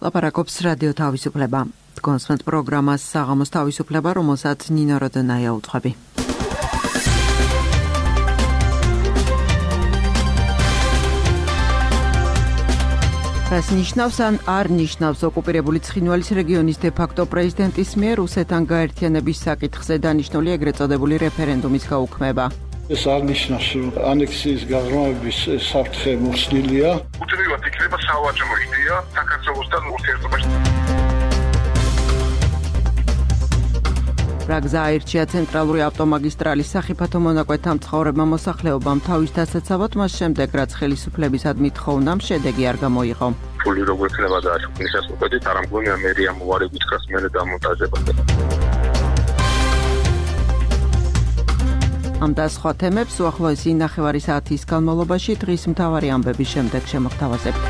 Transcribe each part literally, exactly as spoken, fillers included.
ლაპარაკობს რადიო თავისუფლება. კონსვენტ პროგრამას საღამოს თავისუფლება, რომელსაც ნინო როდონაია უძღვები. რას ნიშნავს ან არ ნიშნავს ოკუპირებული ცხინვალის რეგიონის დე-ფაქტო პრეზიდენტის მიერ რუსეთთან გაერთიანების საკითხზე დანიშნული ეგრეთ წოდებული რეფერენდუმის გაუქმება. ეს არ ნიშნავს, რომ ანექსიის გაღრმავების საფრთხე მოხსნილია. უთრევად იქნება სავაჭრო იდეა საქართველოსთან ურთიერთობაში. რა გზა აირჩია ცენტრალური ავტომაგისტრალის სახიფათო მონაკვეთთა მცხოვრებმა მოსახლეობამ თავის დასაცავად, მას შემდეგ რაც ხელისუფლებისადმი თხოვნამ შედეგი არ გამოიღო. ფული როგორ იქნება დააშუქნისას უკეთით, არ ამგონია მერია მოვარებით ხას მერე დამონტაჟება. ამ და სხვა თემებს უახლოესი ნახევარი საათის განმავლობაში დღის მთავარი ამბების შემდეგ შემოგთავაზებთ.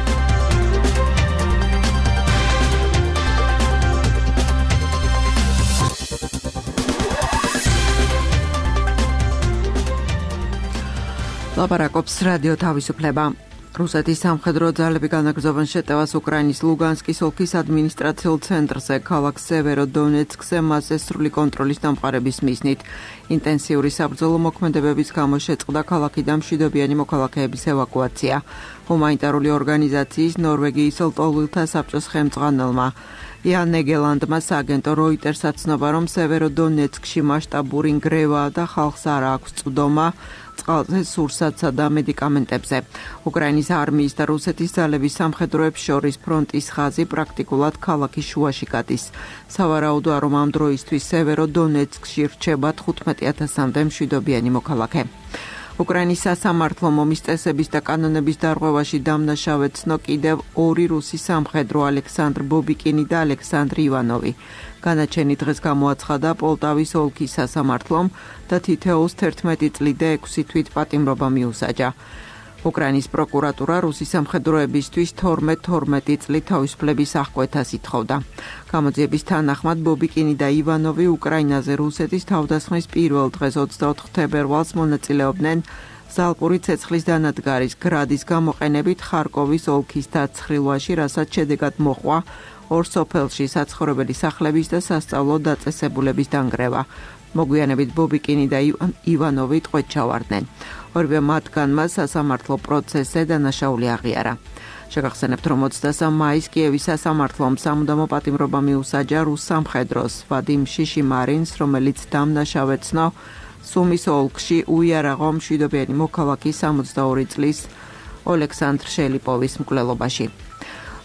ლაპარაკობს რადიო თავისუფლება. რუსეთის სამხედრო ძალები განაგრძობენ შეტევას უკრაინის ლუგანსკის ოლქის ადმინისტრაციულ ცენტრზე, ქალაქ სევეროდონეცკზე მასზე სრული კონტროლის დამყარების მიზნით. ინტენსიური საბრძოლო მოქმედებების გამო შეწყდა ქალაქიდან მშვიდობიანი მოქალაქეების ევაკუაცია. ჰუმანიტარული ორგანიზაციის ნორვეგიის ლტოლვილთა საბჭოს ხელმძღვანელმა იან ნეგელანდმა სააგენტო როიტერს აცნობა, რომ სევეროდონეცკში მასშტაბური ნგრევაა და ხალხს არ აქვს წვდომა წყალზე, სურსათსა და მედიკამენტებზე. უკრაინის არმიის და რუსეთის ძალების სამხედროებს შორის ფრონტის ხაზი პრაქტიკულად ქალაქის შუაში გადის. სავარაუდოა, რომ ამ დროისთვის სევეროდონეცკში რჩება თხუთმეტი ათასამდე მშვიდობიანი მოქალაქე. უკრაინის სასამართლომ ომის წესების და კანონების დარღვევაში დამნაშავედ ცნო კიდევ ორი რუსი სამხედრო ალექსანდრ ბობიკინი და ალექსანდრ ივანოვი. განაჩენი დღეს გამოაცხადა პოლტავის ოლქის სასამართლომ და თითოეულს თერთმეტი წლი და ექვსი თვით პატიმრობა მიუსაჯა. უკრაინის პროკურატურა რუსი სამხედროებისთვის თორმეტ თორმეტი წლი თავისუფლების აღკვეთას ითხოვდა. გამოძიების თანახმად ბობიკინი და ივანოვი უკრაინაზე რუსეთის თავდასხმის პირველ დღეს ოცდაოთხ თებერვალს მონაწილეობდნენ ზალპური ცეცხლის დანადგარის გრადის გამოყენებით ხარკოვის ოლქის დაცხრილვაში, რასაც შედეგად მოჰყვა ორ სოფელში საცხოვრებელი სახლების და სასწავლო დაწესებულების დანგრევა. მოგვიანებით ბობიკინი და ივანოვი ტყვედ ჩავარდნენ. ორივე მათგანმა სასამართლო პროცესზე დანაშაული აღიარა. შეგახსენებთ, რომ ოცდასამ მაისს კიევის სასამართლომ სამუდამო პატიმრობა მიუსაჯა რუს სამხედროს ვადიმ შიშიმარინს, რომელიც დამნაშავედ ცნო სუმის ოლქში უიარაღო მშვიდობიანი მოქალაქის სამოცდაორი წლის ოლექსანდრ შელიპოვის მკვლელობაში.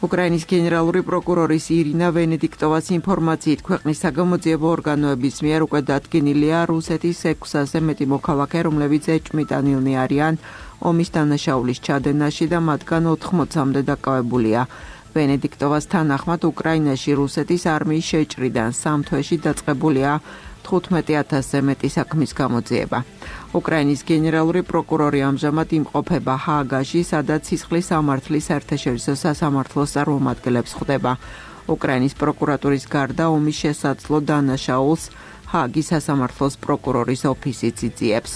უკრაინის გენერალური პროკურორის ირინა ვენედიქტოვას ინფორმაციით, ქვეყნის საგამოძიებო ორგანოების მიერ უკვე დადგენილია რუსეთის ექვსზე მეტი მოქალაქე, რომლებიც ეჭვმიტანილნი არიან ომის დანაშაულის ჩადენაში და მათგან ოთხმოცამდე დაკავებულია. ვენედიქტოვას თანახმად უკრაინაში რუსეთის არმიის შეჭრიდან სამ თვეში დაწყებულია თხუთმეტი ათასზე მეტი საქმის გამოძიება. უკრაინის გენერალური პროკურორი ამჟამად იმყოფება ჰააგაში, სადაც სისხლის სამართლის საერთაშორისო სასამართლოს წარმომადგენლებს ხვდება. უკრაინის პროკურატურის გარდა ომის შესაძლო დანაშაულს ჰააგის სასამართლოს პროკურორის ოფისიც იძიებს.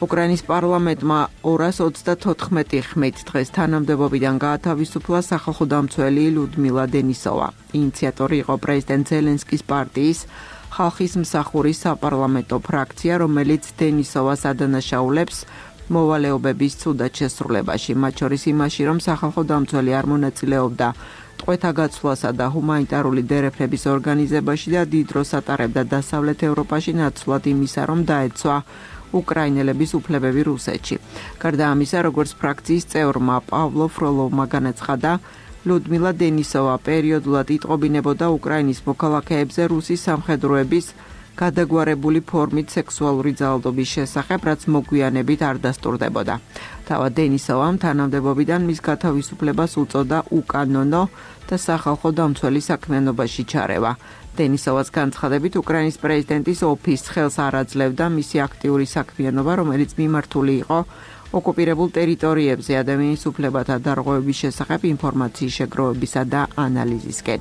უკრაინის პარლამენტმა ორას ოცდათოთხმეტი ხმით დღეს თანამდებობიდან გაათავისუფლა სახალხო დამცველი ლუდმილა დენისოვა. ინიციატორი იყო პრეზიდენტ ზელენსკის პარტიის ხალხის მსახურის საპარლამენტო ფრაქცია, რომელიც დენისოვას ადანაშაულებს მოვალეობების ცუდად შესრულებაში, მათ შორის იმაში, რომ სახალხო დამცველი არ მონაწილეობდა ტყვეთა გაცვლასა და ჰუმანიტარული დერეფლების ორგანიზებაში და დიდ დროს ატარებდა დასავლეთ ევროპაში, ნაცვლად იმისა, რომ დაეცვა უკრაინელების უფლებები რუსეთში. გარდა ამისა, როგორც ფრაქციის წევრმა პავლო ფროლოვმა განაცხადა, ლუდმილა დენისოვა პერიოდულად იტყობინებოდა უკრაინის მოქალაქეებზე რუსის სამხედროების გადაგვარებული ფორმით სექსუალური ძალადობის შესახებ, რაც მოგვიანებით არ დასტურდებოდა. თავად დენისოვამ თანამდებობიდან მის გათავისუფლებას უწოდა უკანონო და სახალხო დამცველი საქმიანობაში ჩარევა. დენისოვას განცხადებით, უკრაინის პრეზიდენტის ოფისს ხელს არ აძლევდა მისი აქტიური საქმიანობა, რომელიც მიმართული იყო ოკუპირებულ ტერიტორიებზე ადამიანის უფლებათა დარღვევების შესახებ ინფორმაციის შეგროვებისა და ანალიზისკენ.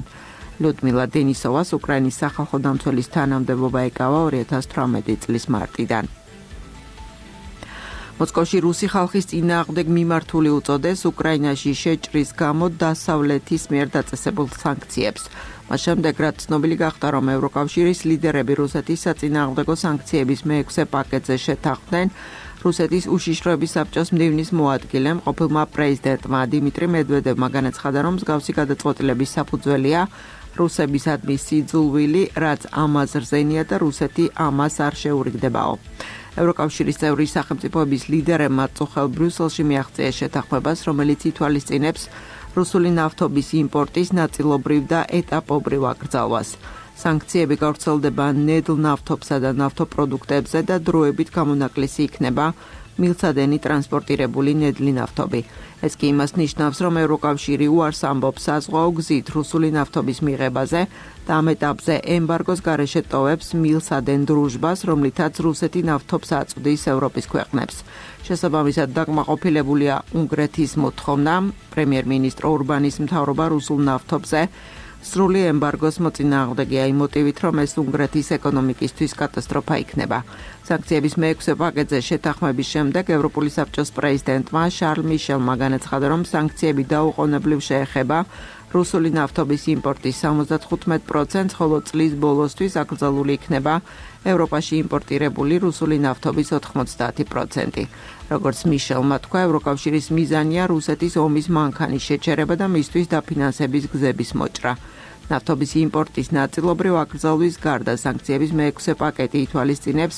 ლუდმილა დენისოვას უკრაინის სახალხო დამცველის თანამდებობა ეკავა ორი ათას თვრამეტი წლის მარტიდან. მოსკოვში რუსი ხალხის წინააღმდეგ მიმართული უწოდეს უკრაინაში შეჭრის გამო დასავლეთის მიერ დაწესებულ სანქციებს. მას შემდეგ, რაც ცნობილი გახდა, რომ ევროკავშირის ლიდერები რუსეთის საწინააღმდეგო სანქციების მეექვსე პაკეტზე შეთანხმდნენ, რუსეთის უშიშროების საბჭოს მდივნის მოადგილემ ყოფილმა პრეზიდენტმა დიმიტრი მედვედევმა განაცხადა, რომ მსგავსი გადაწყვეტილების საფუძველია რუსებისადმი სიძულვილი, რაც ამაზრზენია და რუსეთი ამას არ შეურიგდებაო. ევროკავშირის წევრი სახელმწიფოების ლიდერებმა წუხელ ბრიუსელში მიაღწიეს შეთანხმებას, რომელიც ითვალისწინებს რუსული ნავთობის იმპორტის ნაწილობრივ და ეტაპობრივ აკრძალვას. სანქციები გავრცელდება ნედლ ნავთობსა და ნავთობპროდუქტებზე და დროებით გამონაკლისი იქნება მილსადენი ტრანსპორტირებული ნედლი ნავთობი. ეს კი იმას ნიშნავს, რომ ევროკავშირი უარს ამბობს საზღვაო გზით რუსული ნავთობის მიღებაზე და ამ ეტაპზე ემბარგოს გარეშე ტოვებს მილსადენ დრუჟბას, რომლითაც რუსეთი ნავთობს აწვდის ევროპის ქვეყნებს. შესაბამისად დაკმაყოფილებულია უნგრეთის მოთხოვნა, პრემიერ-მინისტრ ორბანის მთავრობა რუსულ ნავთობზე სრული ემბარგოს მოწინააღმდეგეა იმ მოტივით, რომ ეს უნგრეთის ეკონომიკისთვის კატასტროფა იქნება. სანქციების მეექვსე პაკეტზე შეთანხმების შემდეგ ევროპული საბჭოს პრეზიდენტმა შარლ მიშელმა განაცხადა, რომ სანქციები დაუყოვნებლივ შეეხება რუსული ნავთობის იმპორტის სამოცდათხუთმეტ პროცენტს, ხოლო წლის ბოლოსთვის აკრძალული იქნება ევროპაში იმპორტირებული რუსული ნავთობის ოთხმოცდაათი პროცენტი. როგორც მიშელმა თქვა, ევროკავშირის მიზანია რუსეთის ომის მანქანის შეჩერება და მისთვის დაფინანსების გზების მოჭრა. ნავთობის იმპორტის ნაწილობრივ აკრძალვის გარდა სანქციების მეექვსე პაკეტი ითვალისწინებს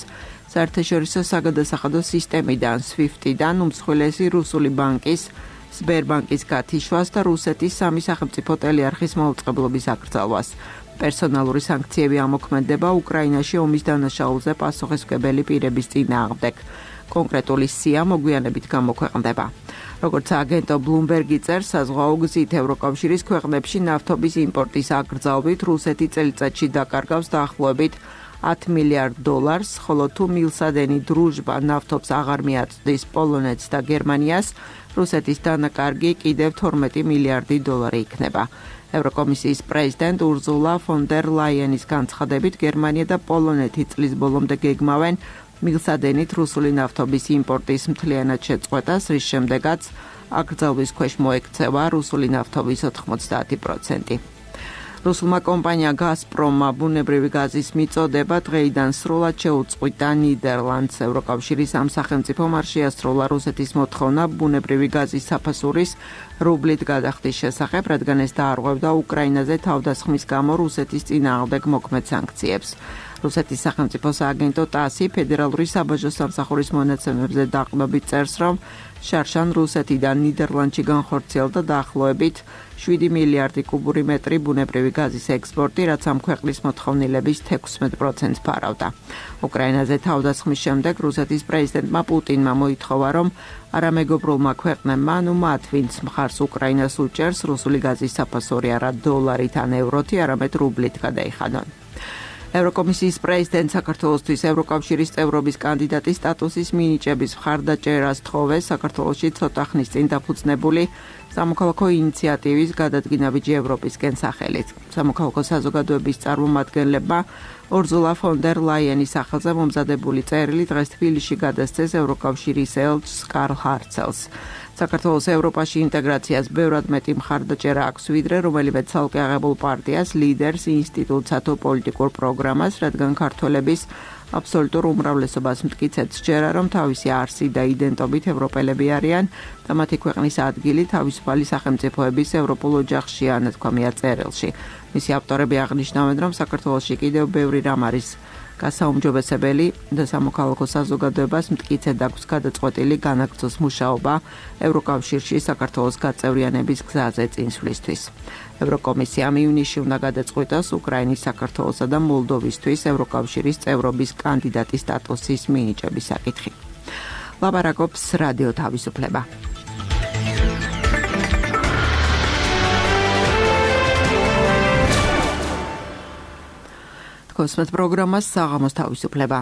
საერთაშორისო საგადასახადო სისტემიდან სვიფტიდან უმსხვილესი რუსული ბანკის სბერბანკის გათიშვას და რუსეთის სამი სახელმწიფო ტელეარხის მაუწყებლობის აკრძალვას. პერსონალური სანქციები ამოქმედება უკრაინაში ომის დანაშაულზე პასუხისმგებელი პირების წინააღმდეგ. კონკრეტული სია მოგვიანებით გამოქვეყნდება. როგორც აგენტო ბლუმბერგი წერს, საზღვაო გზით ევროკავშირის ქვეყნებში ნავთობის იმპორტის აკრძალვით რუსეთი წელიწადში დაკარგავს დაახლოებით ათ მილიარდ დოლარს, ხოლო თუ მილსადენი დრუჟბა ნავთობს აღარ მიაწვდის პოლონეთს და გერმანიას, რუსეთის დანაკარგი კიდევ თორმეტი მილიარდი დოლარი იქნება. ევროკომისიის პრეზიდენტ ურზულა ფონ დერ ლაიენის განცხადებით, გერმანია და პოლონეთი წლის ბოლომდე გეგმავენ მილსადენით რუსული ნავთობის იმპორტის მთლიანად შეწყვეტას, რის შემდეგაც აკრძალვის ქვეშ მოექცევა რუსული ნავთობის ოთხმოცდაათი პროცენტი. რუსულმა კომპანია გაზპრომმა ბუნებრივი გაზის მიწოდება დღეიდან სრულად შეუწყვიტა ნიდერლანდს. ევროკავშირის ამ სახელმწიფომ არ შეასრულა რუსეთის მოთხოვნა ბუნებრივი გაზის საფასურის რუბლით გადახდის შესახებ, რადგან ეს დაარღვევდა უკრაინაზე თავდასხმის გამო რუსეთის წინააღმდეგ მოქმედ სანქციებს. რუსეთის სახელმწიფო სააგენტო ტასი ფედერალური საბაჟო სამსახურის მონაცემებზე დაყრდნობით წერს, რომ შარშან რუსეთიდან ნიდერლანდში განხორციელდა დაახლოებით შვიდი მილიარდი კუბური მეტრი ბუნებრივი გაზის ექსპორტი, რაც ამ ქვეყნის მოთხოვნილების თექვსმეტ პროცენტს ფარავდა. უკრაინაზე თავდასხმის შემდეგ რუსეთის პრეზიდენტმა პუტინმა მოითხოვა, რომ არამეგობრულმა ქვეყნებმა, ანუ მათ, ვინც მხარს უკრაინას უჭერს, რუსული გაზის საფასური არა დოლარით ან ევროთი, არამედ რუბლით გადაიხადონ. ევროკომისიის პრეზიდენტ საქართველოსთვის ევროკავშირის წევრობის კანდიდატის სტატუსის მინიჭების მხარდაჭერას თხოვეს საქართველოში ცოტა ხნის წინ დაფუძნებული სამოქალაქო ინიციატივის გადადგინა ბიჯი ევროპისკენ სახელით. სამოქალაქო საზოგადოების წარმომადგენლებმა ურზულა ფონ დერ ლაიენის სახელზე მომზადებული წერილი დღეს თბილისში გადასცეს ევროკავშირის ელჩს კარლ ჰარცელს. საქართველოს ევროპაში ინტეგრაციას ბევრად მეტი მხარდაჭერა აქვს, ვიდრე რომელიმე ცალკე აღებულ პარტიას, ლიდერს, ინსტიტუტსა თუ პოლიტიკურ პროგრამას, რადგან ქართველების აბსოლუტურ უმრავლესობას მტკიცედ სჯერა, რომ თავისი არსი და იდენტობით ევროპელები არიან და მათი ქვეყნის ადგილი თავისუფალი სახელმწიფოების ევროპულ ოჯახშია, ნათქვამია წერილში. მისი ავტორები აღნიშნავენ, რომ საქართველოში კიდევ ბევრი რამ არის გასაუმჯობესებელი და სამოქალაქო საზოგადოებას მტკიცედ აქვს გადაწყვეტილი განაგრძოს მუშაობა ევროკავშირში საქართველოს გაწევრიანების გზაზე წინსვლისთვის. ევროკომისიამ ივნისში უნდა გადაწყვიტოს უკრაინის, საქართველოსა და მოლდოვისთვის ევროკავშირის წევრობის კანდიდატის სტატუსის მინიჭების საკითხი. ლაპარაკობს რადიო თავისუფლება. კოსმეთ პროგრამას საღამოს თავისუფლება.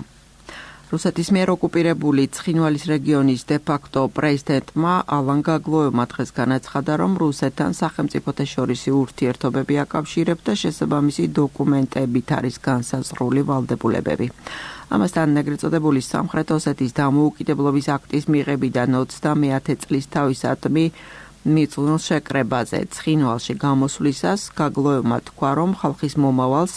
რუსეთის მიერ ოკუპირებული ცხინვალის რეგიონის დე-ფაქტო პრეზიდენტმა ალან გაგლოევმა დღეს განაცხადა, რომ რუსეთთან სახელმწიფოთა შორისი ურთიერთობები აკავშირებდა და შესაბამისი დოკუმენტებით არის განსაზღვრული ვალდებულებები. ამასთან ეგრეთ წოდებული სამხრეთ ოსეთის დამოუკიდებლობის აქტის მიღებიდან ოცდამეათე წლის თავისადმი მიწველ შეკრებაზე ცხინვალში გამოსვლისას გაგლოევმა თქვა, რომ ხალხის მომავალს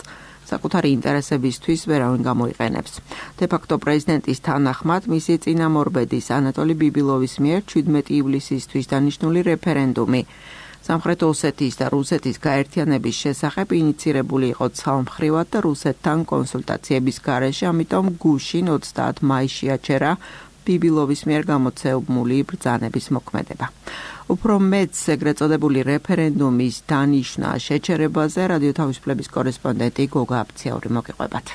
საკუთარი ინტერესებისთვის ვერავინ გამოიყენებს. დე-ფაქტო პრეზიდენტის თანახმად მისი წინამორბედის ანატოლი ბიბილოვის მიერ შვიდმეტი ივლისისთვის დანიშნული რეფერენდუმი სამხრეთ ოსეთის და რუსეთის გაერთიანების შესახებ ინიცირებული იყო ცალმხრივად და რუსეთთან კონსულტაციების გარეშე, ამიტომ გუშინ ოცდაათი მაისში აჩერა ბიბილოვის მიერ გამოცემული ბრძანების მოქმედება. უფრო მეც ეგრეთ წოდებული რეფერენდუმის დანიშნა შეჩერებაზე რადიო თავისუფლების კორესპონდენტი გოგა აფციური მოგიყვებათ.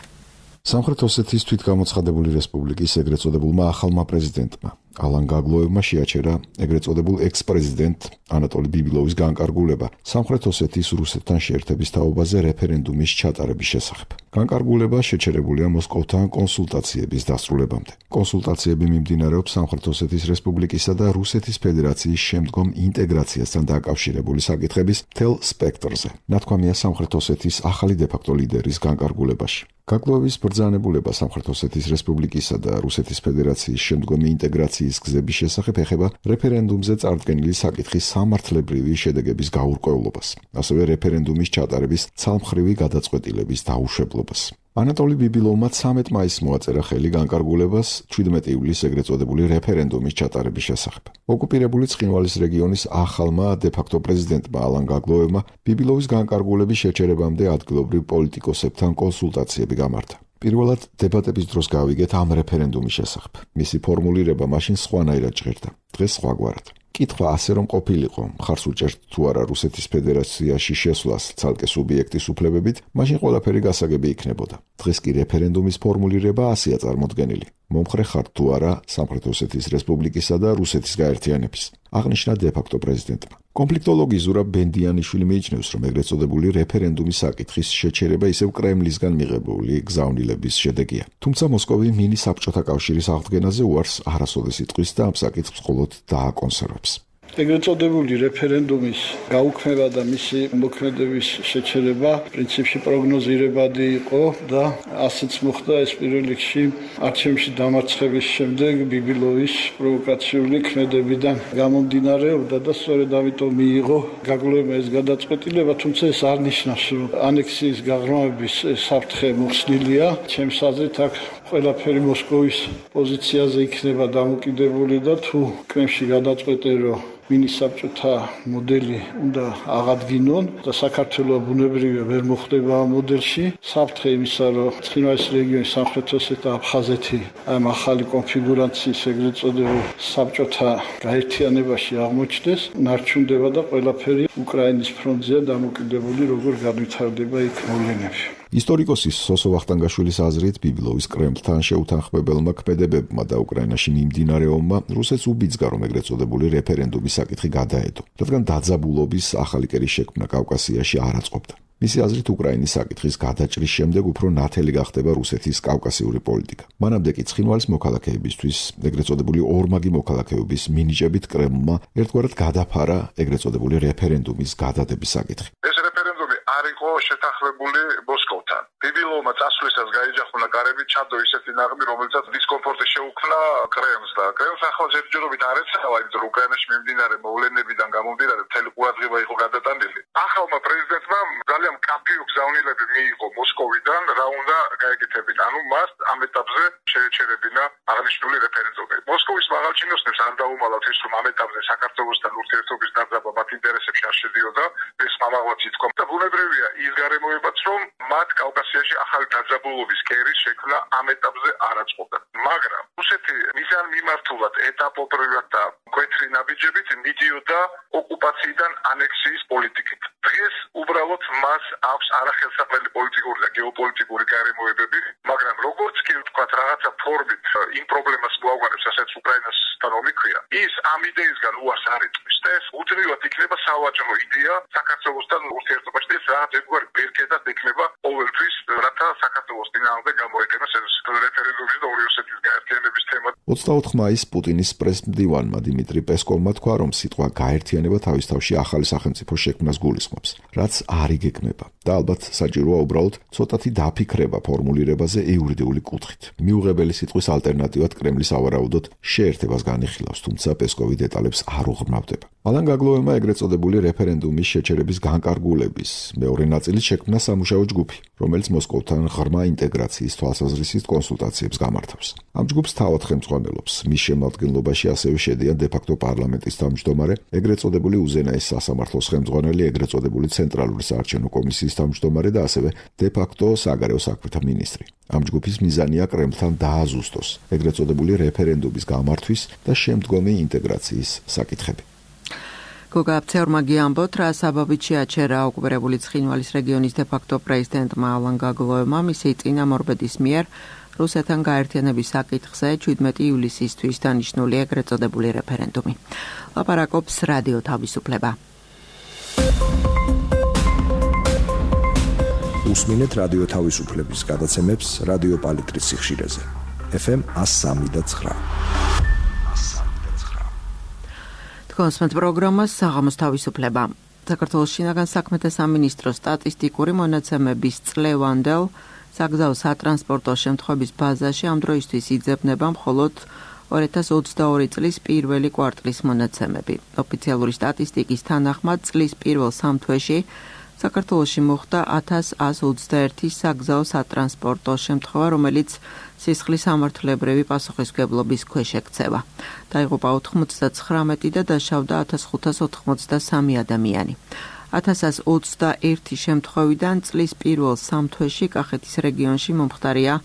სამხრეთ ოსეთის თვითგამოცხადებული რესპუბლიკის ეგრეთ წოდებულმა ახალმა პრეზიდენტმა ალან გაგლოევმა შეაჩერა ეგრეთ წოდებულ ექს-პრეზიდენტ ანატოლი ბიბილოვის განკარგულება სამხრეთ ოსეთის რუსეთთან შეერთების თაობაზე რეფერენდუმის ჩატარების შესახებ. განკარგულება შეჩერებულია მოსკოვთან კონსულტაციების დასრულებამდე. კონსულტაციები მიმდინარეობს სამხრეთ ოსეთის რესპუბლიკისა და რუსეთის ფედერაციის შემდგომ ინტეგრაციასთან დაკავშირებული საკითხების მთელ სპექტრზე. ნათქვამია სამხრეთ ოსეთის ახალი დე-ფაქტო ლიდერის განკარგულებაში. გაგლოევის ბრძანებულება სამხრეთ ოსეთის რესპუბლიკისა და რუსეთის ფედერაციის შემდგომი ინტეგრაციის გზების შესახებ ეხება რეფერენდუმზე წარდგენილი საკითხის სამართლებრივი შედეგების გაურკვევლობას, ასევე რეფერენდუმის ჩატარების ცალმხრივი გადაწყვეტილების დაუშვებლობას. ანატოლი ბიბილოვმა ცამეტ მაისს მოაწერა ხელი განკარგულებას შვიდმეტი ივლისს ეგრეთ წოდებული რეფერენდუმის ჩატარების შესახებ. ოკუპირებული ცხინვალის რეგიონის ახალმა დე-ფაქტო პრეზიდენტმა ალან გაგლოევმა ბიბილოვის განკარგულების შეჩერებამდე ადგილობრივ პოლიტიკოსებთან კონსულტაციები გამართა. პირველად დებატების დროს გავიგეთ ამ რეფერენდუმის შესახებ. მისი ფორმულირება მაშინ სხვანაირად ჟღერდა, დღეს სხვაგვარად. კითხვა ასე რომ ყოფილიყო, მხარს უჭერთ თუ არა რუსეთის ფედერაციაში შესვლას ცალკე სუბიექტის უფლებებით, მაშინ ყველაფერი გასაგები იქნებოდა. დღეს კი რეფერენდუმის ფორმულირება ასეა წარმოდგენილი. მომხრე ხართ თუ არა სამხრეთ ოსეთის რესპუბლიკისა და რუსეთის გაერთიანების, აღნიშნა დე-ფაქტო პრეზიდენტმა. კონფლიქტოლოგი ზურაბ ბენდიანიშვილი მიიჩნევს, რომ ეგრეთ წოდებული რეფერენდუმის საკითხის შეჩერება ისევ კრემლისგან მიღებული გზავნილების შედეგია. თუმცა მოსკოვი მინი საბჭოთა კავშირის აღდგენაზე უარს არასოდეს იტყვის და ამ საკითხს მხოლოდ დააკონსერვებს. ეგრეთ წოდებული რეფერენდუმის გაუქმება და მისი მოქმედების შეჩერება პრინციპში პროგნოზირებადი იყო და ასეც მოხდა ეს პირველ რიგში არჩევნებში დამარცხების შემდეგ ბიბილოვის პროვოკაციული ქმედებიდან გამომდინარეობდა და სწორედ ამიტომ მიიღო გაგლოევმა ეს გადაწყვეტილება, თუმცა ეს არ ნიშნავს, რომ ანექსიის გაღრმავების საფრთხე მოხსნილია. ჩემს აზრით აქ ყველაფერი მოსკოვის პოზიციაზე იქნება დამოკიდებული და თუ კრემლში გადაწყვეტენ, რომ მინისაბჭოთა მოდელი უნდა აღადგინონ და საქართველოს ბუნებრივია ვერ მოხდება ამ მოდელში. საფრთხე იმისა, რომ ცხინვალის რეგიონის სამხრეთ ოსეთი და აფხაზეთი ამ ახალი კონფიგურაციის ეგრეთ წოდებულ საბჭოთა გაერთიანებაში აღმოჩნდეს, ნარჩუნდება და ყველაფერი უკრაინის ფრონტზეა დამოკიდებული, როგორ განვითარდება იქ მოვლენები. ისტორიკოსი სოსო ვახტანგაშვილის აზრით, ბიბილოვის კრემლთან შეუთანხმებელმა ქმედებებმა და უკრაინაში მიმდინარეობმა რუსეთს უბიძგა, რომ ეგრეთ წოდებული რეფერენდუმის საკითხი გადაედო, რადგან დაძაბულობის ახალი კერის შექმნა კავკასიაში არ აწყობდა. მისი აზრით, უკრაინის საკითხის გადაჭრის შემდეგ უფრო ნათელი გახდება რუსეთის კავკასიური პოლიტიკა. მანამდე კი ცხინვალის მოქალაქეებისთვის ეგრეთ წოდებული ორმაგი მოქალაქეობის მინიჭებით კრემლმა ერთგვარად გადაფარა ეგრეთ წოდებული რეფერენდუმის გადადების საკითხი. ეს რეფერენდუმი არ იყო შეთანხმებული მოსკოვთან. ბიბილოვმა წასვლისას გაიჯახუნა კარები, ჩადო ისეთი ნაღმი, რომელიცაც დისკომფორტი შეუქმნა კრემლს და კრემლს ახლა ჯერჯერობით არ ეცავა, იმიტომ რომ უკრაინაში მიმდინარე მოვლენებიდან გამომდინარე მთელი ყურადღება იყო გადატანილი. ახალმა პრეზიდენტმა ძალიან მკაფიო გზავნილები მიიღო მოსკოვიდან, რა უნდა გაეკეთებინა. ანუ მას ამ ეტაპზე შეეჩერებინა აღნიშნული რეფერენდუმი. მოსკოვის მაღალჩინოსნებს არ დაუმალავთ ის, რომ ამ ეტაპზე საქართველოსთან ურთიერთობის დაძაბვა მათ ინტერესებში არ შედიოდა, ეს ამაღლაც ითქვა. და ბუნებრივია ის გარემოებაც, რომ მათ კავკასიაში ახალი დაძაბულობის კერის შექმნა ამ ეტაპზე არ აწყობდა. მაგრამ რუსეთი მიზან მიმართულად ეტაპობრივად და მკვეთრი ნაბიჯებით მიდიოდა ოკუპაციიდან ანექსიის პოლიტიკით. დღეს უბრალოდ მას აქვს არახელსაყრელი პოლიტიკური და გეოპოლიტიკური გარემოებები, მაგრამ როგორც კი ვთქვათ, რაღაცა ფორმით იმ პრობლემას მოაგვარებს, რასაც უკრაინასთან ომიქვია, ის ამ იდეისგან უარს არ იტყვის და ეს უდრივად იქნება სავაჭრო იდეა საქართველოსთან ურთიერთობაში და ეს რაღაც ერთგვარი ბერკეტად ექნება ყოველთვის, რათა საქართველოს წინააღმდეგ გამოიყენოს ეს რეფერენდუმის და ორი ოსეთის გაერთიანების თემა. ოცდაოთხ მაისს პუტინის პრეს-მდივანმა დიმიტრი პესკოვმა თქვა, რომ სიტყვა გაერთიანება თავის თავში ახალი სახელმწიფოს შექმნას გულისხმობს, რაც არ იგეგმება. და ალბათ საჭიროა უბრალოდ ცოტათი დაფიქრება ფორმულირებაზე იურიდიული კუთხით. მიუღებელი სიტყვის ალტერნატივად კრემლის ავარაუდოდ შეერთებას განიხილავს, თუმცა პესკოვი დეტალებს არ უღრმავდება. ალან გაგლოევმა ეგრეთ წოდებული რეფერენდუმის შეჩერების განკარგულების მეორე ნაწილის შექმნა სამუშაო ჯგუფი, რომელიც მოსკოვთან ღრმა ინტეგრაციის თვალსაზრისით კონსულტაციებს გამართავს. ამ ჯგუფს თავად ხელმძღვანელობს. მის შემადგენლობაში ასევე შედიან დე-ფაქტო პარლამენტის თავმჯდომარე, ეგრეთ წოდებული უზენაეს სასამართლოს ხელმძღვანელი, ეგრეთ წოდებული ცენტრალური საარჩევნო კომისიის თავმჯდომარე და ასევე დე-ფაქტო საგარეო საქმეთა მინისტრი. ამ ჯგუფის მიზანია კრემლთან დააზუსტოს ეგრეთ წოდებული რეფერენდუმის გამართვის და შემდგომი ინტეგრაციის საკითხები. გოგა აფცეორმა გიამბოთ, რა საბაბით შეაჩერა ოკუპირებული ცხინვალის რეგიონის დე-ფაქტო პრეზიდენტმა ალან გაგლოევმა მისი წინამორბედის მიერ რუსეთთან გაერთიანების საკითხზე შვიდმეტი ივლისისთვის დანიშნული ეგრეთ წოდებული რეფერენდუმი. ლაპარაკობს რადიო თავისუფლება. უსმინეთ რადიო თავისუფლების გადაცემებს რადიო პალიტრის სიხშირეზე. ეფ ემ one oh three point nine. კონსმეთ პროგრამას საღამოს თავისუფლება. საქართველოს შინაგან საქმეთა სამინისტროს სტატისტიკური მონაცემების წლევანდელ საგზაო სატრანსპორტო შემთხვევების ბაზაში ამ დროისთვის იძებნება მხოლოდ ორი ათას ოცდაორი წლის პირველი კვარტლის მონაცემები. ოფიციალური სტატისტიკის თანახმად წლის პირველ სამ თვეში საქართველოში მოხდა ათას ათს ოცდაერთი საგზაო სატრანსპორტო შემთხვევა, რომელიც სისხლის სამართლებრივი პასუხისმგებლობის ქვეშ ექცევა. დაიღუპა ოთხმოცდათხრამეტი და დაშავდა ათას ხუთას ოთხმოცდასამი ადამიანი. ათას ათს ოცდაერთი შემთხვევიდან წლის პირველ სამ თვეში კახეთის რეგიონში მომხდარია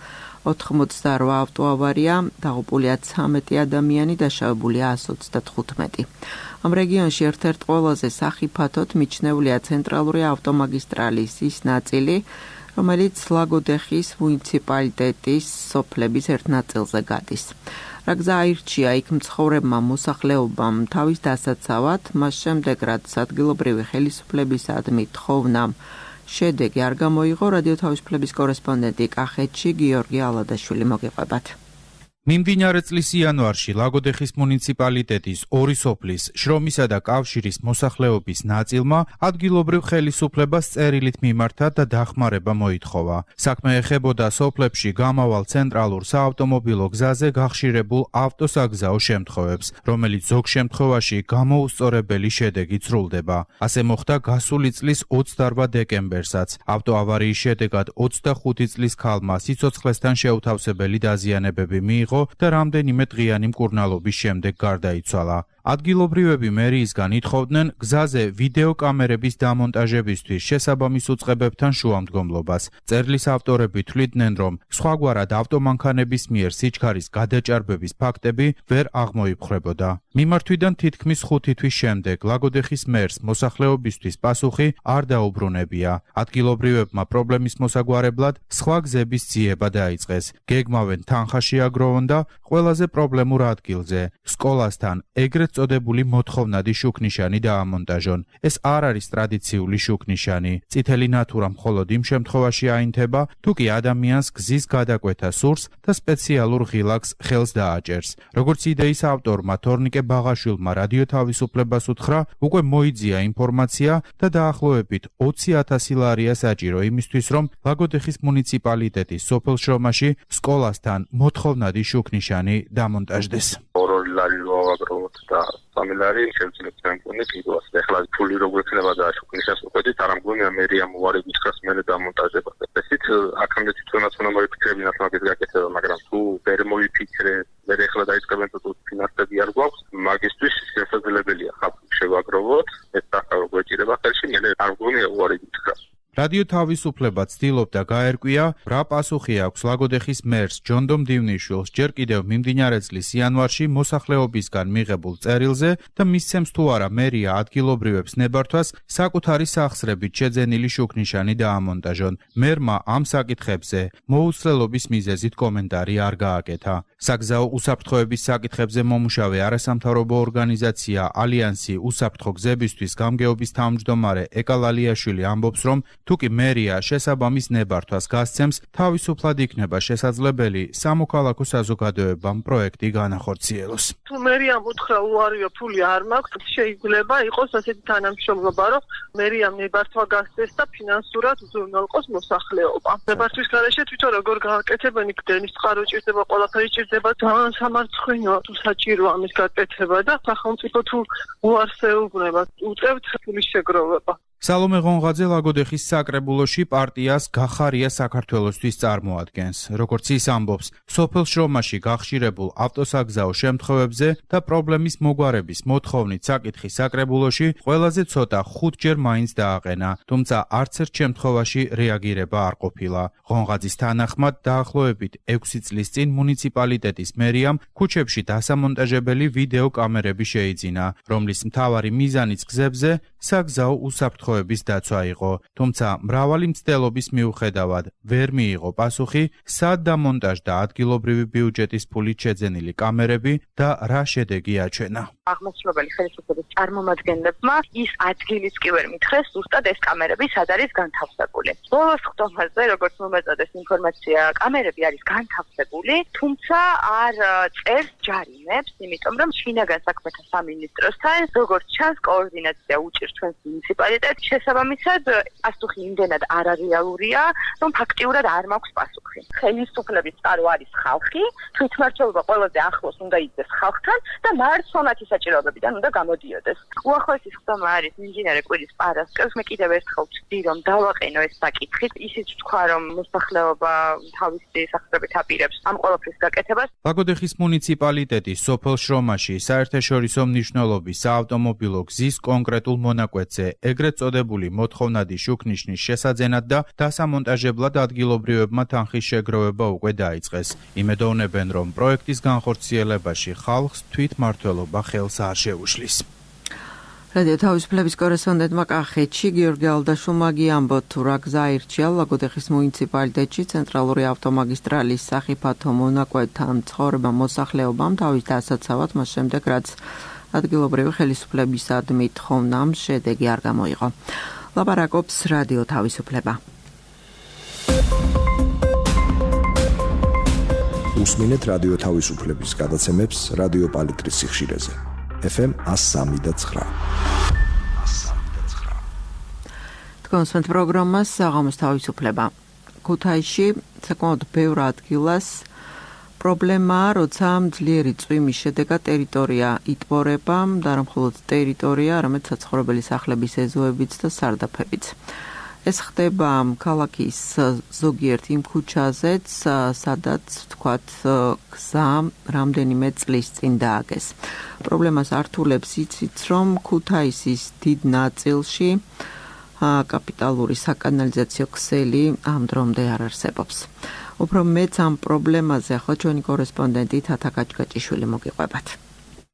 ოთხმოცდარვა ავტოავარია, დაღუპულია ცამეტი ადამიანი, დაშავებულია ასი ოცდათხუთმეტი. ამ რეგიონში ერთ-ერთ ყველაზე სახიფათოდ მიჩნეულია ცენტრალური ავტომაგისტრალის ის ნაწილი, რომელიც ლაგოდეხის მუნიციპალიტეტის სოფლების ერთ ნაწილზე გადის. რა გზა აირჩია იქ მცხოვრებმა მოსახლეობამ თავის დასაცავად, მას შემდეგ რაც ადგილობრივი ხელისუფლებისადმი თხოვნამ შედეგი არ გამოიღო, რადიო თავისუფლების კორესპონდენტი კახეთში გიორგი ალადაშვილი მოგიყვებათ. მიმდინარე წლის იანვარში ლაგოდეხის მუნიციპალიტეტის ორი სოფლის, შრომისა და კავშირის მოსახლეობის ნაწილმა ადგილობრივ ხელისუფლებას წერილით მიმართა და დახმარება მოითხოვა. საქმე ეხებოდა სოფლებში გამავალ ცენტრალურ საავტომობილო გზაზე გახშირებულ ავტოსაგზაო შემთხვევებს, რომელიც ზოგ შემთხვევაში გამოუსწორებელი შედეგით სრულდება. ასე მოხდა გასული წლის ოცდარვა დეკემბერსაც. ავტოავარიის შედეგად ოცდახუთი წლის ქალმა სიცოცხლესთან შეუთავსებელი დაზიანებები მიიღო და რამდენიმე დღიანი მკურნალობის შემდეგ გარდაიცვალა. ადგილობრივები მერიისგან ითხოვდნენ გზაზე ვიდეო კამერების დამონტაჟებისთვის შესაბამის უწყებებთან შუამდგომლობას. წერლის ავტორები თვლიდნენ, რომ სხვაგვარად ავტომანქანების მიერ სიჩქარის გადაჭარბების ფაქტები ვერ აღმოიფხვრებოდა. მიმართვიდან თითქმის ხუთი თვის შემდეგ ლაგოდეხის მერს მოსახლეობისთვის პასუხი არ დაუბრუნებია. ადგილობრივებმა პრობლემის მოსაგვარებლად სხვა გზების ძიება დაიწყეს. გეგმავენ თანხაში აგროვონ და ყველაზე პრობლემურ ადგილზე, სკოლასთან ეგრეთ წოდებული მოთხოვნადი შუქნიშანი დაამონტაჟონ. ეს არ არის ტრადიციული შუქნიშანი. წითელი ნათურა მხოლოდ იმ შემთხვევაში აინთება, თუ კი ადამიანს გზის გადაკვეთა სურს და სპეციალურ ღილაკს ხელს დააჭერს. როგორც იდეის ავტორმა თორნიკე ბაღაშვილმა რადიო თავისუფლებას უთხრა, უკვე მოიძია ინფორმაცია და დაახლოებით ოცი ათასი ლარია საჭირო იმისთვის, რომ ლაგოდეხის მუნიციპალიტეტის სოფელ შრომაში სკოლასთან მოთხოვნადი შუქნიშანი დამონტაჟდეს. ორი ლარი ვაგროვოთ და სამი ლარი შევძლებთ მემკვიდრე კიდევაც. ეხლა ფული როგორ ექნება და შუქნიშანს უყედით, არ ამგონია მერია მოარი გითხრას მერე დამონტაჟება. ესეც აქამდე თვითონაც უნდა მოიფიქრებინათ მაგის გაკეთება, მაგრამ თუ ვერ მოიფიქრე, ვერ ეხლა დაიწყებენ თუ ფინანსები არ გვაქვს, მაგისთვის შესაძლებელია ხაფი შევაგროვოთ, ეს ახლა გვეჭირება ხელში, მე არ მგონია უარი გითხრას. რადიო თავისუფლება ცდილობდა გაერკვია, რა პასუხი აქვს ლაგოდეხის მერს ჯონდომ დივნიშვილს ჯერ კიდევ მიმდინარე წლის იანვარში მოსახლეობისგან მიღებულ წერილზე და მისცემს თუ არა მერია ადგილობრივებს ნებართვას საკუთარი სახსრებით შეძენილი შუქნიშანი დაამონტაჟონ. მერმა ამ საკითხებზე მოუსწრელობის მიზეზით კომენტარი არ გააკეთა. საგზაო უსაფრთხოების საკითხებზე მომუშავე არასამთავრობო ორგანიზაცია ალიანსი უსაფრთხო გზებისთვის გამგეობის თავმჯდომარე ეკალალიაშვილი ამბობს, რომ თუკი მერია შესაბამის ნებართვას გასცემს, თავისუფლად იქნება შესაძლებელი სამოქალაქო საზოგადოებამ პროექტი განახორციელოს. თუ მერიამ უთხრა უარია ფული არ მაქვს, შეიძლება იყოს ასეთი თანამშრომლობა, რომ მერიამ ნებართვა გასცეს და ფინანსურად უზრუნველყოს მოსახლეობა. ნებართვის გარეშე თვითონ როგორ გააკეთებენ, იქ დენის წყარო ჭირდება, ყველაფერი ჭირდება, ძალიან სამარცხვინოა თუ საჭიროა ამის გაკეთება და სახელმწიფო თუ უარს ეუბნება, უწევთ ფულის შეგროვება. სალომე ღონღაძე ლაგოდეხის საკრებულოში პარტიას გახარია საქართველოსთვის წარმოადგენს. როგორც ის ამბობს, სოფელ შრომაში გახშირებულ ავტოსაგზაო შემთხვევებზე და პრობლემის მოგვარების მოთხოვნით საკითხი საკრებულოში ყველაზე ცოტა ხუთჯერ მაინც დააყენა, თუმცა არც ერთ შემთხვევაში რეაგირება არ ყოფილა. ღონღაძის თანახმად დაახლოებით ექვსი წლის წინ მუნიციპალიტეტის მერიამ ქუჩებში დასამონტაჟებელი ვიდეო კამერები შეიძინა, რომლის მთავარი მიზანიც გზებზე საგზაო უსაფრთხოების დაცვა იყო, თუმცა მრავალი მცდელობის მიუხედავად ვერ მიიღო პასუხი, სად დამონტაჟდა ადგილობრივი ბიუჯეტის ფულით შეძენილი კამერები და რა შედეგი აჩვენა. აღმასრულებელი ხელისუფლების წარმომადგენლებმა ის ადგილიც კი ვერ მითხრეს, ზუსტად ეს კამერები სად არის განთავსებული. ბოლოს ხტომაზე, როგორც მომეწოდეს ინფორმაცია, კამერები არის განთავსებული, თუმცა არ წერს ჯარიმებს, იმიტომ რომ შინაგან საქმეთა სამინისტროსთან, როგორც ჩანს, კოორდინაცია უჭირს ჩვენს მუნიციპალიტეტს, შესაბამისად, პასუხი იმდენად არარეალურია, რომ ფაქტიურად არ მაქვს პასუხი. ხელისუფლების წყარო არის ხალხი, თვითმმართველობა ყველაზე ახლოს უნდა იდგეს ხალხთან და მართლმსაჯულების საჭიროებებიდან უნდა გამოდიოდეს. უახლოესი ხტომა არის ინჟინერი კვირის პარასკევს, მე კიდევ ერთხელ ვთქვი, რომ დავაყენო ეს საკითხი, ისიც ვთქვა, რომ მოსახლეობა თავისი სახსრებით აპირებს ამ ყველაფრის გაკეთებას. ლაგოდეხის მუნიციპალიტეტის სოფელ შრომაში საერთაშორისო მნიშვნელობის საავტომობილო გზის კონკრეტულ მონაკვეთზე ეგრეთ წოდებული მოთხოვნადი შუქნიშნის შესაძენად და დასამონტაჟებლად ადგილობრივებმა თანხის შეგროვება უკვე დაიწყეს. იმედოვნებენ, რომ პროექტის განხორციელებაში ხალხს თვითმმართველობა ხელს არ შეუშლის. რადიო თავისუფლების კორესპონდენტმა კახეთში გიორგი ალდაშულმა გიამბოთ, თუ რა გზა ირჩია ლაგოდეხის მუნიციპალიტეტში ცენტრალური ავტომაგისტრალის სახიფათო მონაკვეთთან მცხოვრებმა მოსახლეობამ თავის დასაცავად მას შემდეგ, რაც ადგილობრივი ხელისუფლებისადმი თხოვნამ შედეგი არ გამოიღო. ლაპარაკობს რადიო თავისუფლება. უსმინეთ რადიო თავისუფლების გადაცემებს რადიო პალიტრის სიხშირეზე. ეფ ემ ას სამი და ცხრა. თქვენს პროგრამას საღამოს თავისუფლება. ქუთაისში საკმაოდ ბევრ ადგილას პრობლემაა, როცა ძლიერი წვიმის შედეგად ტერიტორია იტბორება და არა მხოლოდ ტერიტორია, არამედ საცხოვრებელი სახლების ეზოებიც და სარდაფებიც. ეს ხდება ქალაქის ზოგიერთ იმ ქუჩაზეც, სადაც თქვათ გზა რამდენიმე წლის წინ დააგეს. პრობლემას ართულებს იცით, რომ ქუთაისის დიდ ნაწილში კაპიტალური საკანალიზაციო ქსელი ამ დრომდე არ არსებობს. უფრო მეც ამ პრობლემაზე ახლა ჩვენი კორესპონდენტი თათა კაჭკაჭიშვილი მოგიყვებათ.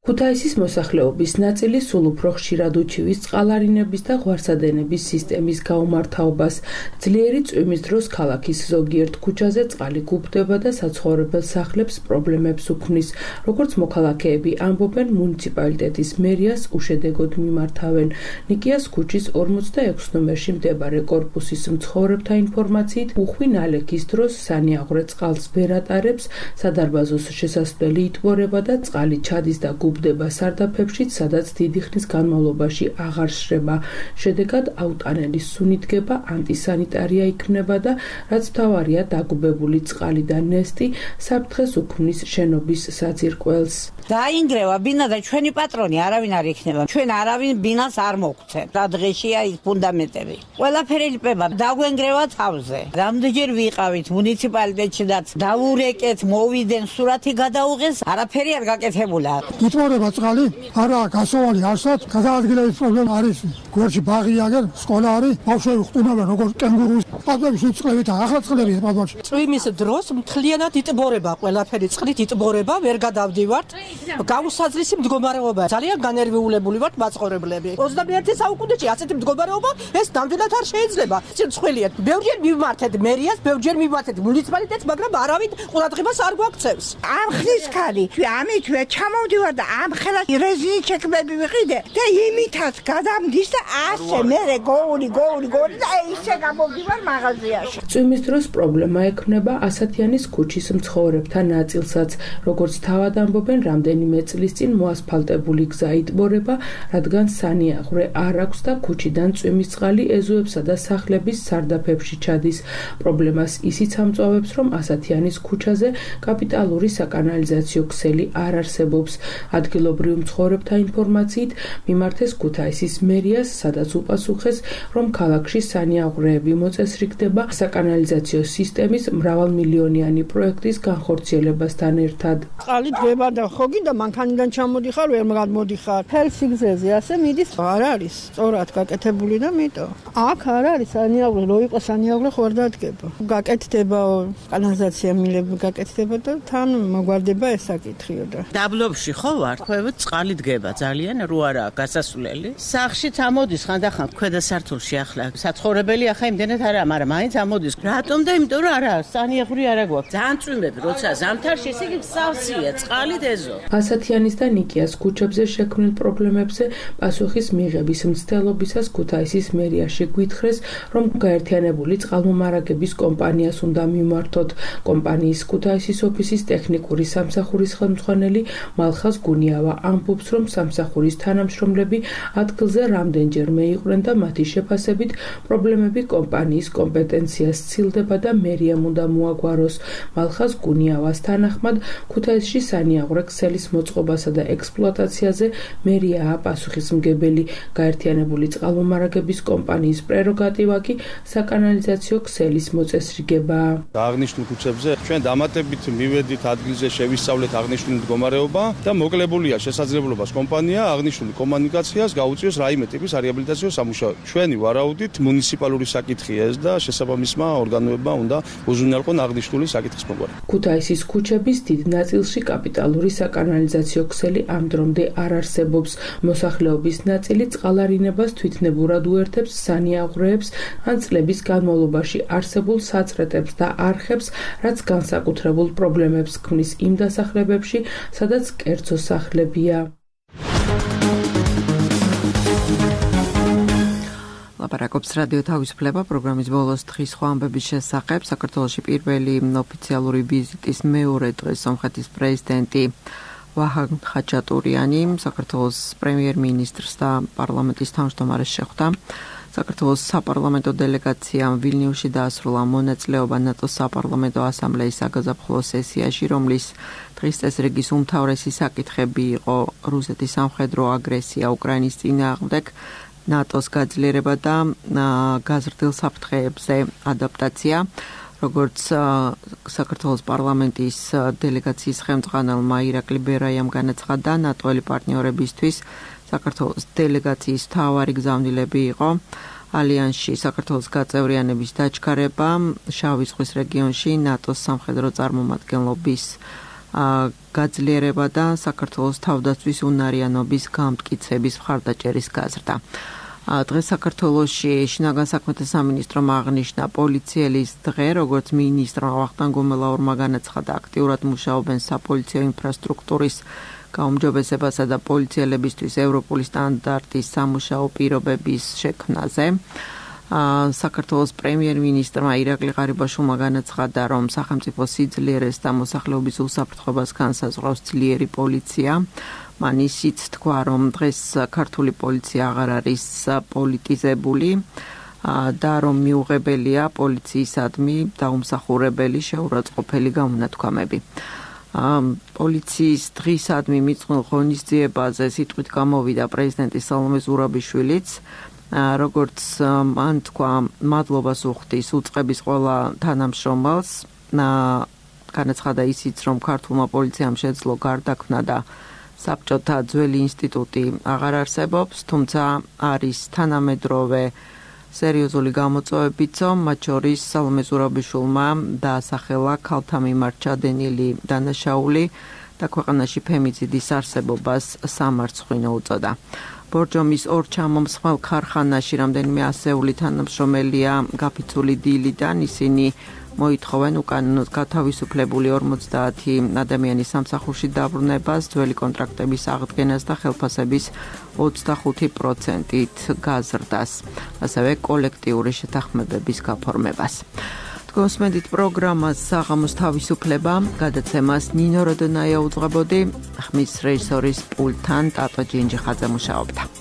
ქუთაისის მოსახლეობის ნაწილი სულ უფრო ხშირად უჩივის წყალარინების და ღვარსადენების სისტემის გაუმართავობას. ძლიერი წვიმის დროს ქალაქის ზოგიერთ ქუჩაზე წყალი გუბდება და საცხოვრებელ სახლებს პრობლემებს უქმნის. როგორც მოქალაქეები ამბობენ, მუნიციპალიტეტის მერიას უშედეგოდ მიმართავენ. ნიკიას ქუჩის ორმოცდაექვსი ნომერში მდებარე კორპუსის მცხოვრებთა ინფორმაციით, უხვი ნალექის დროს სანიაღვრე წყალს ვერ ატარებს, სადარბაზოს შესასვლელი იტბორება და წყალი ჩადის და გუბდება სარდაფებშიც, სადაც დიდი ხნის განმავლობაში აღარ შრება. შედეგად აუტანელის სუნი დგება, ანტისანიტარია იქმნება და რაც მთავარია, დაგუბებული წყალი და ნესტი საფრთხეს უქმნის შენობის საძირკველს. დაინგრევა ბინა და ჩვენი პატრონი არავინ არ იქნება. ჩვენ არავინ ბინას არ მოგცემ. რა დღეშია ის ფუნდამენტები. ყველაფერი ლიყვება, დაგვენგრევა თავზე. რამდენჯერ ვიყავით მუნიციპალიტეტში და დავურეკეთ, მოვიდენ, სურათი გადაუღეს, არაფერი არ გაკეთებულა. იტბორება წყალი, არა გასავალი არსად, გადაადგილების პრობლემა არის. გვერდში ბაღი აგერ, სკოლა არის, ბავშვები ხტუნავენ როგორც კენგურუს. პატბების უწყლებით, ახლა წყლები პატბებში. წვიმის დროს მთლიანად იტბორება, ყველაფერი წყლით იტბორება, ვერ გადავდივართ. გაუსაძლისი მდგომარეობა. ძალიან განერვიულებული ვართ მაცხოვრებლები. ოცდამეერთე საუკუნეში ასეთი მდგომარეობა ეს ნამდვილად არ შეიძლება. ცხვილია. ბევრჯერ მივმართეთ მერიას, ბევრჯერ მივმართეთ მუნიციპალიტეტს, მაგრამ არავინ ყურადღებას არ გვაქცევს. ამ ხნის ხალი, ამით მე ჩამოვდივარ და ამ ხელა რეზინი ჩეკმები ვიყიდე და იმითაც გადამდის და ასე მე გოური გოური გოური და ისე გამოვდივარ მაღაზიაში. წვიმის დროს პრობლემა ექმნება ასათიანის ქუჩის მცხოვრებთა ნაწილსაც, როგორც თავად ამბობენ, რამდენიმე წლის წინ მოასფალტებული გზა იტბორება, რადგან სანიაღვრე არ აქვს და ქუჩიდან წვიმის წყალი ეზოებსა და სახლების სარდაფებში ჩადის. პრობლემას ისიც ამწვავებს, რომ ასათიანის ქუჩაზე კაპიტალური საკანალიზაციო ქსელი არ არსებობს. ადგილობრივ მცხოვრებთა ინფორმაციით მიმართეს ქუთაისის მერიას, სადაც უპასუხეს, რომ ქალაქში სანიაღვრეები მოწესრიგდება საკანალიზაციო სისტემის მრავალმილიონიანი პროექტის განხორციელებასთან ერთად. წყალი დგება და ხო გინდა მანქანიდან ჩამოდიხარ, ვერ გადმოდიხარ. ფელსიგზეზე ასე მიდის, არ არის სწორად გაკეთებული და მიტო. აქ არ არის სანიაღვრე, რო იყო სანიაღვრე ხო არ დადგება. გაკეთდება კანალიზაცია მილები გაკეთდება და თან მოგვარდება ეს საკითხიო და. დაბლობში ხო ვარ, ხვევით წყალი დგება ძალიან, რო არაა გასასვლელი. სახში წამოდის ხანდახან ქვედა სართულში ახლა. საცხოვრებელი ახლა იმდენად არა, მაგრამ მაინც ამოდის. რატომ და იმიტომ რომ არა, სანიაღვრე არა გვაქვს. ძალიან წვიმები, როცა ზამთარში ესე იგი სავსეა, წყალი დეზო. ასათიანის და ნიკიას ქუჩებზე შექმნილ პრობლემებზე პასუხის მიღების მცდელობისას ქუთაისის მერიაში გვითხრეს, რომ გაერთიანებული წყალმომარაგების კომპანიას უნდა მიმართოთ. კომპანიის ქუთაისის ოფისის ტექნიკური სამსახურის ხელმძღვანელი მალხაზ გუნიავა ამბობს, რომ სამსახურის თანამშრომლები ადგილზე რამდენჯერმე იყვნენ და მათი შეფასებით პრობლემები კომპანიის კომპეტენციას სცილდება და მერიამ უნდა მოაგვაროს. მალხაზ გუნიავას თანახმად ქუთაისში სანიაღვრე ქსელის მოწყობასა და ექსპლუატაციაზე მერიაა პასუხისმგებელი. გაერთიანებული წყალმომარაგების კომპანიის პრეროგატივა კი საკანალიზაციო ქსელის მოწესრიგება. აღნიშნულ ქუჩებზე ჩვენ დამატებით მივედით ადგილზე შევისწავლეთ აღნიშნული მდგომარეობა და მოკლებულია შესაძლებლობას კომპანია აღნიშნული კომუნიკაციას გაუწიოს რაიმე ტიპის რეაბილიტაციო სამუშაოები. ჩვენი ვარაუდით მუნიციპალური საკითხია ეს და შესაბამისმა ორგანოებმა უნდა უზრუნველყონ აღნიშნული საკითხის მოგვარება. ქუთაისის ქუჩების დიდ ნაწილში კაპიტალური საკანალიზაციო ქსელი ამ დრომდე არ არსებობს. მოსახლეობის ნაწილი წყალარინებას თვითნებურად უერთებს სანიაღვრეებს ან წლების განმავლობაში არსებულ საწრეტებს და არხებს, რაც განსაკუთრებულ პრობლემებს ქმნის იმ დასახლებებში, სადაც კერძო სახლებია. ლაპარაკობს რადიო თავისუფლება პროგრამის ბოლოს დღის სხვა ამბების შესახებ. საქართველოში პირველი ოფიციალური ვიზიტის მეორე დღეს სომხეთის პრეზიდენტი ვაჰან ხაჩატურიანი საქართველოს პრემიერ-მინისტრს და პარლამენტის თავმჯდომარეს შეხვდა. საქართველოს საპარლამენტო დელეგაციამ ვილნიუსში დაასრულა მონაწილეობა ნატოს საპარლამენტო ასამბლეის საგაზაფხულო სესიაში, რომლის დღის წესრიგის უმთავრესი საკითხები იყო რუსეთის სამხედრო აგრესია უკრაინის წინააღმდეგ, ნატოს გაძლიერება და გაზრდილ საფრთხეებზე ადაპტაცია. როგორც საქართველოს პარლამენტის დელეგაციის ხელმძღვანელმა ირაკლი ბერაიამ განაცხადა, ნატოელი პარტნიორებისთვის საქართველოს დელეგაციის მთავარი გზავნილები იყო ალიანსში საქართველოს გაწევრიანების დაჩქარება, შავი ზღვის რეგიონში ნატოს სამხედრო წარმომადგენლობის გაძლიერება და საქართველოს თავდაცვის უნარიანობის გამტკიცების მხარდაჭერის გაზრდა. დღეს საქართველოში შინაგან საქმეთა სამინისტრომ აღნიშნა პოლიციელის დღე, როგორც მინისტრმა ვახტანგ გომელაურმა განაცხადა, აქტიურად მუშაობენ საპოლიციო ინფრასტრუქტურის გაუმჯობესებასა და პოლიციელებისთვის ევროპული სტანდარტის სამუშაო პირობების შექმნაზე. საქართველოს პრემიერ-მინისტრმა ირაკლი ღარიბაშვილმა განაცხადა, რომ სახელმწიფო სიძლიერეს და მოსახლეობის უსაფრთხოებას განსაზღვრავს ძლიერი პოლიცია. მან ისიც თქვა, რომ დღეს ქართული პოლიცია აღარ არის პოლიტიზებული და რომ მიუღებელია პოლიციისადმი დაუმსახურებელი შეურაცხყოფელი გამონათქვამები. პოლიციის დღისადმი მიწყვილ ღონისძიებაზე სიტყვით გამოვიდა პრეზიდენტი სალომე ზურაბიშვილიც, როგორც მან თქვა, მადლობას უხდის უწყების ყველა თანამშრომელს. განაცხადა ისიც, რომ ქართულმა პოლიციამ შეძლო გარდაქმნა და საბჭოთა ძველი ინსტიტუტი აღარ არსებობს, თუმცა არის თანამედროვე სერიოზული გამოწვევებიც, მათ შორის სალომე ზურაბიშვილმა დაასახელა ქალთა მიმართ ჩადენილი დანაშაული და ქვეყანაში ფემიციდის არსებობას სამარცხვინო უწოდა. ბორჯომის ორ ჩამომსხმელ ქარხანაში რამდენიმე ასეული თანამშრომელია გაფიცული დილიდან, ისინი მოითხოვენ უკანონოდ გათავისუფლებული ორმოცდაათი ადამიანის სამსახურში დაბრუნებას, ძველი კონტრაქტების აღდგენას და ხელფასების ოცდახუთი პროცენტით გაზრდას, ასევე კოლექტიური შეთანხმებების გაფორმებას. გოსმენდით პროგრამას საღამოს თავისუფლება, გადაცემას ნინო როდონაია უძღვებოდი, ხმის რეჟისორის პულტთან ტატო ჯინჯიხაძე მუშაობდა.